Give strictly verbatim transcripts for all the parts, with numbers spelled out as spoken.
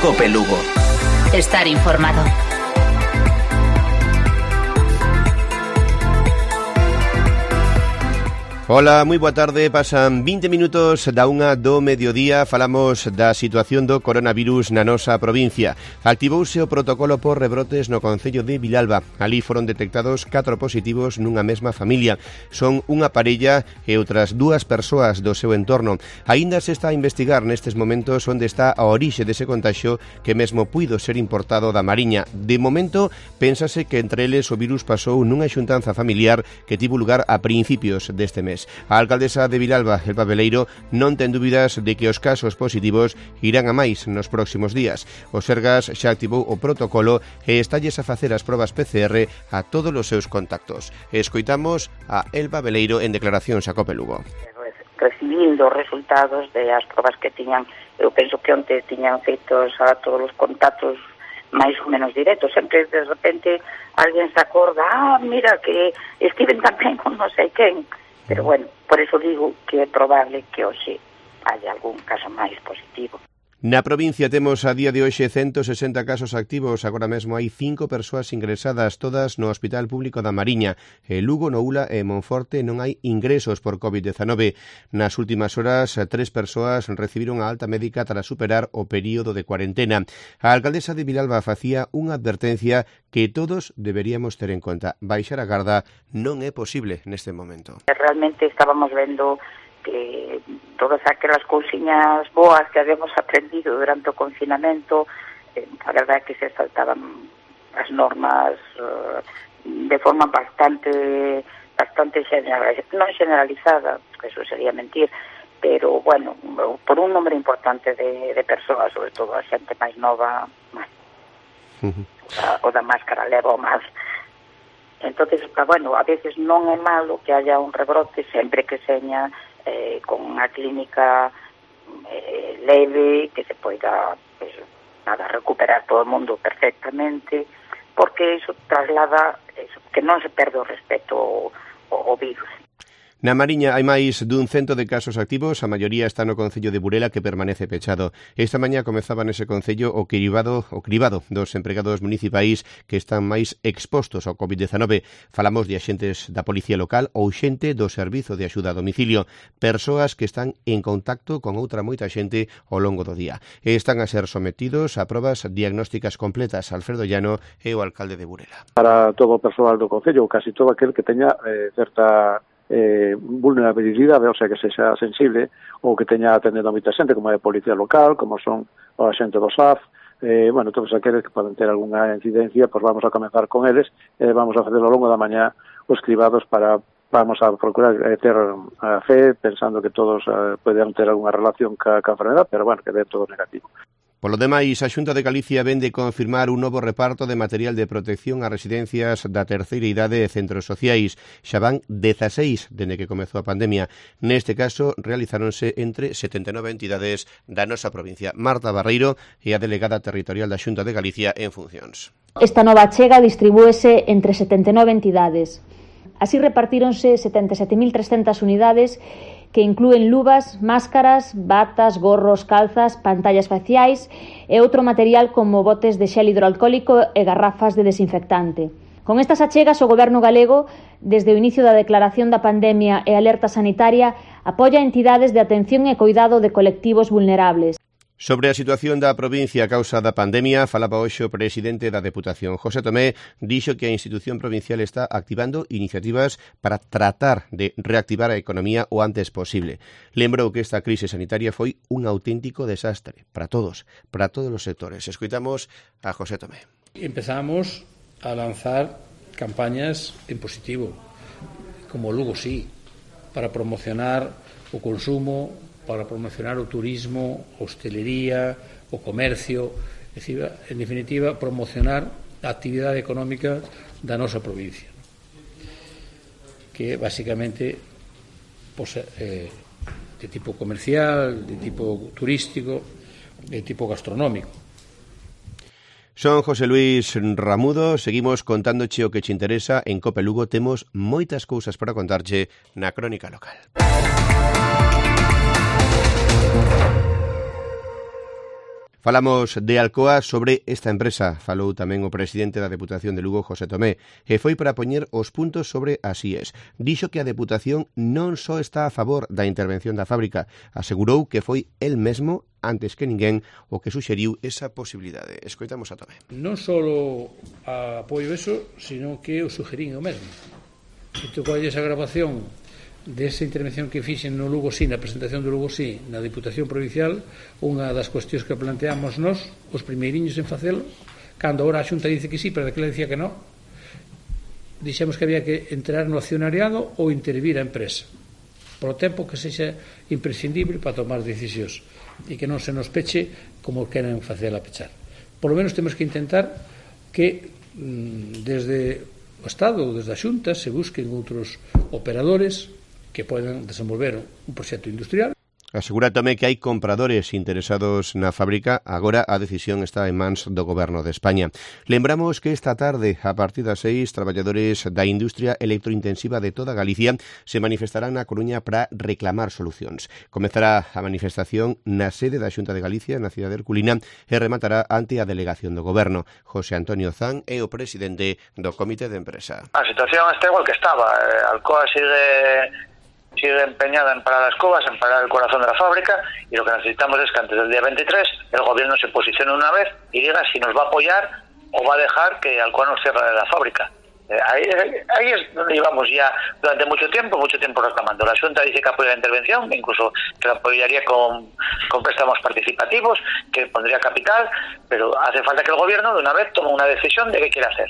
Cope Lugo. Estar informado. Ola, moi boa tarde, pasan vinte minutos da unha do mediodía, falamos da situación do coronavirus na nosa provincia. Activouse o protocolo por rebrotes no concello de Vilalba. Ali foron detectados catro positivos nunha mesma familia. Son unha parella e outras dúas persoas do seu entorno. Aínda se está a investigar nestes momentos onde está a orixe dese contagio que mesmo puido ser importado da Mariña. De momento, pénsase que entre eles o virus pasou nunha xuntanza familiar que tivo lugar a principios deste mes. A alcaldesa de Vilalba, Elba Beleiro, non ten dúbidas de que os casos positivos irán a máis nos próximos días. O Sergas xa activou o protocolo e estalles a facer as probas P C R a todos os seus contactos. Escoitamos a Elba Beleiro en declaracións a Cope Lugo. Recibindo os resultados de as probas que tiñan, eu penso que onte tiñan feitos a todos os contactos máis ou menos directos. Sempre de repente alguén se acorda, ah, mira que estiven tamén con non sei quen. Pero bueno, por eso digo que é probable que hoxe haya algún caso máis positivo. Na provincia temos a día de hoxe ciento sesenta casos activos, agora mesmo hai cinco persoas ingresadas, todas no Hospital Público da Mariña. En Lugo, Noula e Monforte non hai ingresos por covid diecinueve. Nas últimas horas, tres persoas recibiron a alta médica tras superar o período de cuarentena. A alcaldesa de Vilalba facía unha advertencia que todos deberíamos ter en conta. Baixar a garda non é posible neste momento. Realmente estábamos vendo que todas aquelas cousiñas boas que habíamos aprendido durante o confinamento, eh, a verdade é que se saltaban as normas uh, de forma bastante bastante generalizada, non generalizada, que eso sería mentir, pero bueno, por un número importante de, de persoas, sobre todo a xente máis nova, máis, uh-huh. o, o da máscara leva o máis. Entonces, bueno, a veces non é malo que haya un rebrote sempre que seña Eh, con unha clínica eh, leve, que se poida pues, nada, recuperar todo o mundo perfectamente, porque iso traslada eso, que non se perde o respeto ao, ao virus. Na Mariña hai máis dun cento de casos activos, a maioría está no concello de Burela, que permanece pechado. Esta mañá comezaba nese concello o cribado, o cribado dos empregados municipais que están máis expostos ao covid diecinueve. Falamos de axentes da Policía Local ou xente do Servizo de Axuda a Domicilio, persoas que están en contacto con outra moita xente ao longo do día. E están a ser sometidos a probas diagnósticas completas. Alfredo Llano é o alcalde de Burela. Para todo o persoal do concello, casi todo aquel que teña eh, certa Eh, vulnerabilidade, o sea, que sexa sensible ou que teña atendendo a moita xente, como é a Policía Local, como son o xente do S A F, eh, bueno, todos aqueles que poden ter algunha incidencia, pois vamos a comenzar con eles, e eh, vamos a facer ao longo da mañá os cribados para, vamos a procurar eh, ter a fe, pensando que todos eh, poden ter algunha relación ca, ca enfermedad, pero bueno, que dé todo negativo. Polo demais, a Xunta de Galicia vén de confirmar un novo reparto de material de protección a residencias da terceira idade e centros sociais. Xa van dezaseis dende que comezou a pandemia. Neste caso, realizáronse entre setenta e nove entidades da nosa provincia. Marta Barreiro é a delegada territorial da Xunta de Galicia en funcións. Esta nova achega distribúese entre setenta e nove entidades. Así repartíronse setenta e sete mil trescentas unidades que inclúen luvas, máscaras, batas, gorros, calzas, pantallas faciais e outro material como botes de xel hidroalcohólico e garrafas de desinfectante. Con estas achegas, o Goberno galego, desde o inicio da declaración da pandemia e alerta sanitaria, apoia entidades de atención e coidado de colectivos vulnerables. Sobre a situación da provincia a causa da pandemia, falaba hoxe o presidente da Deputación. José Tomé dixo que a institución provincial está activando iniciativas para tratar de reactivar a economía o antes posible. Lembrou que esta crise sanitaria foi un auténtico desastre para todos, para todos os sectores. Escoitamos a José Tomé. Empezamos a lanzar campañas en positivo, como Lugo sí, para promocionar o consumo, para promocionar o turismo, a hostelería, o comercio, é dicir, en definitiva, promocionar a actividade económica da nosa provincia, que basicamente pues, eh, de tipo comercial, de tipo turístico, de tipo gastronómico. Son José Luis Ramudo, seguimos contándoche o que te interesa. En Cope Lugo temos moitas cousas para contarche na crónica local. Falamos de Alcoa sobre esta empresa. Falou tamén o presidente da Deputación de Lugo, José Tomé, e foi para poñer os puntos sobre as I E S. Dixo que a Deputación non só está a favor da intervención da fábrica, asegurou que foi el mesmo antes que ninguén o que suxeriu esa posibilidade. Escoitamos a Tomé. Non só apoio eso, sino que o sugerín o mesmo. Se tu colles a grabación desa intervención que fixen no Lugo Sí, na presentación do Lugo Sí, na Diputación Provincial, unha das cuestións que planteamos nós, os primeiriños en facelo, cando agora a Xunta dice que sí, pero daquela dicía que non, dixemos que había que entrar no accionariado ou intervir a empresa, por o tempo que sexa imprescindible para tomar decisións, e que non se nos peche como queren facela pechar. Por lo menos temos que intentar que desde o Estado ou desde a Xunta se busquen outros operadores que poden desenvolver un proxecto industrial. Asegura tamén que hai compradores interesados na fábrica. Agora a decisión está en mans do Goberno de España. Lembramos que esta tarde, a partir das seis, traballadores da industria electrointensiva de toda Galicia se manifestarán na Coruña para reclamar solucións. Comezará a manifestación na sede da Xunta de Galicia, na cidade de Herculina, e rematará ante a delegación do Goberno. José Antonio Zan é o presidente do Comité de Empresa. A situación está igual que estaba. Alcoa sigue... sigue empeñada en parar las cubas, en parar el corazón de la fábrica, y lo que necesitamos es que antes del día veintitrés el gobierno se posicione una vez y diga si nos va a apoyar o va a dejar que Alcoa nos cierre la fábrica. Eh, ahí, ahí es donde llevamos ya durante mucho tiempo, mucho tiempo reclamando. La Xunta dice que apoya la intervención, incluso que la apoyaría con, con préstamos participativos, que pondría capital, pero hace falta que el gobierno de una vez tome una decisión de qué quiere hacer.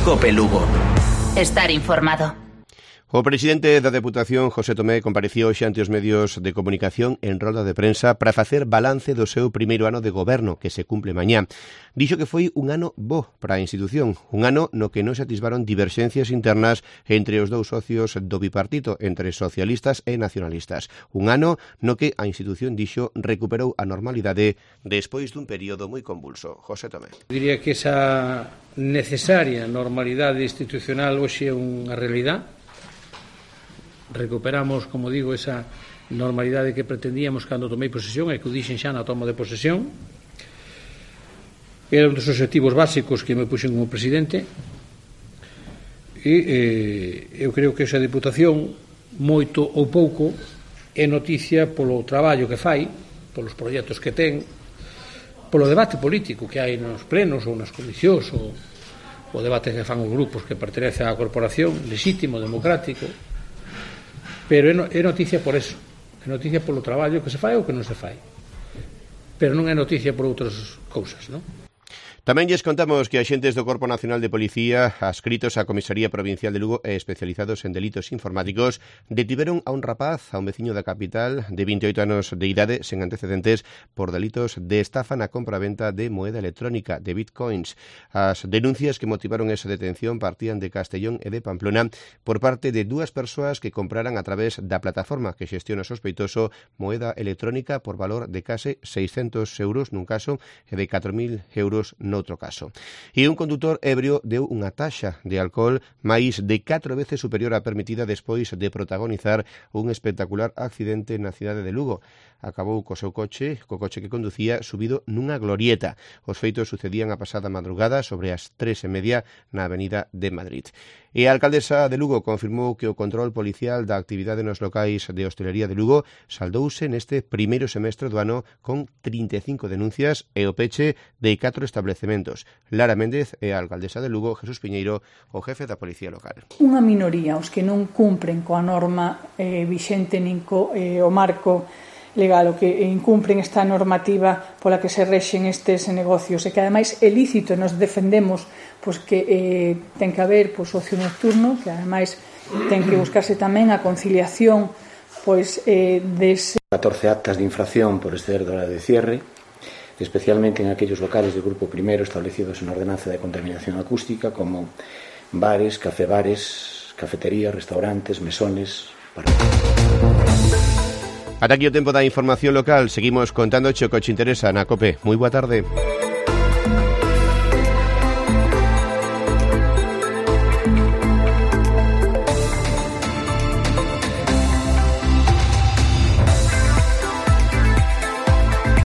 COPE Lugo. Estar informado. O presidente da Deputación, José Tomé, compareció hoxe ante os medios de comunicación en rolda de prensa para facer balance do seu primeiro ano de goberno, que se cumple mañá. Dixo que foi un ano bo para a institución, un ano no que non se atisbaron diverxencias internas entre os dous socios do bipartito, entre socialistas e nacionalistas. Un ano no que a institución, dixo, recuperou a normalidade despois dun período moi convulso. José Tomé. Diría que esa necesaria normalidade institucional hoxe é unha realidade. Recuperamos, como digo, esa normalidade que pretendíamos cando tomei posesión e que o dixen xa na toma de posesión. Era un dos objetivos básicos que me puxen como presidente e eh, eu creo que esa Deputación, moito ou pouco, é noticia polo traballo que fai, polos proxectos que ten, polo debate político que hai nos plenos ou nas comisións, ou o debate que fan os grupos que pertenecen á corporación, legítimo, democrático. Pero é noticia por eso, é noticia polo traballo que se fai ou que non se fai, pero non é noticia por outras cousas, non? Tamén lles contamos que axentes do Corpo Nacional de Policía, adscritos á Comisaría Provincial de Lugo e especializados en delitos informáticos, detiveron a un rapaz, a un veciño da capital, de vinte e oito anos de idade, sen antecedentes, por delitos de estafa na compra-venta de moeda electrónica, de bitcoins. As denuncias que motivaron esa detención partían de Castellón e de Pamplona por parte de dúas persoas que compraran a través da plataforma que xestiona o sospeitoso moeda electrónica por valor de case seiscentos euros nun caso e de catro mil euros no noutro caso. E un condutor ebrio deu unha taxa de alcohol máis de catro veces superior á permitida despois de protagonizar un espectacular accidente na cidade de Lugo. Acabou co seu coche, co coche que conducía, subido nunha glorieta. Os feitos sucedían a pasada madrugada sobre as tres e media na avenida de Madrid. E a alcaldesa de Lugo confirmou que o control policial da actividade nos locais de hostelería de Lugo saldouse neste primeiro semestre do ano con trinta e cinco denuncias e o peche de catro establecementos. Lara Méndez é a alcaldesa de Lugo, Jesús Piñeiro, o jefe da Policía Local. Unha minoría, os que non cumpren coa norma eh, vixente nin co eh, o marco legal, o que incumpren esta normativa pola que se rexen estes negocios e que ademais é lícito, nos defendemos pois que eh, ten que haber pois, ocio nocturno, que ademais ten que buscarse tamén a conciliación pois eh, dese catorce actas de infracción por exceder do horario de cierre, especialmente en aquellos locales de grupo primero establecidos en ordenanza de contaminación acústica como bares, cafebares, cafeterías, restaurantes, mesones, para... Ata aquí o tempo da información local. Seguimos contando o que che interesa na COPE. Moi boa tarde.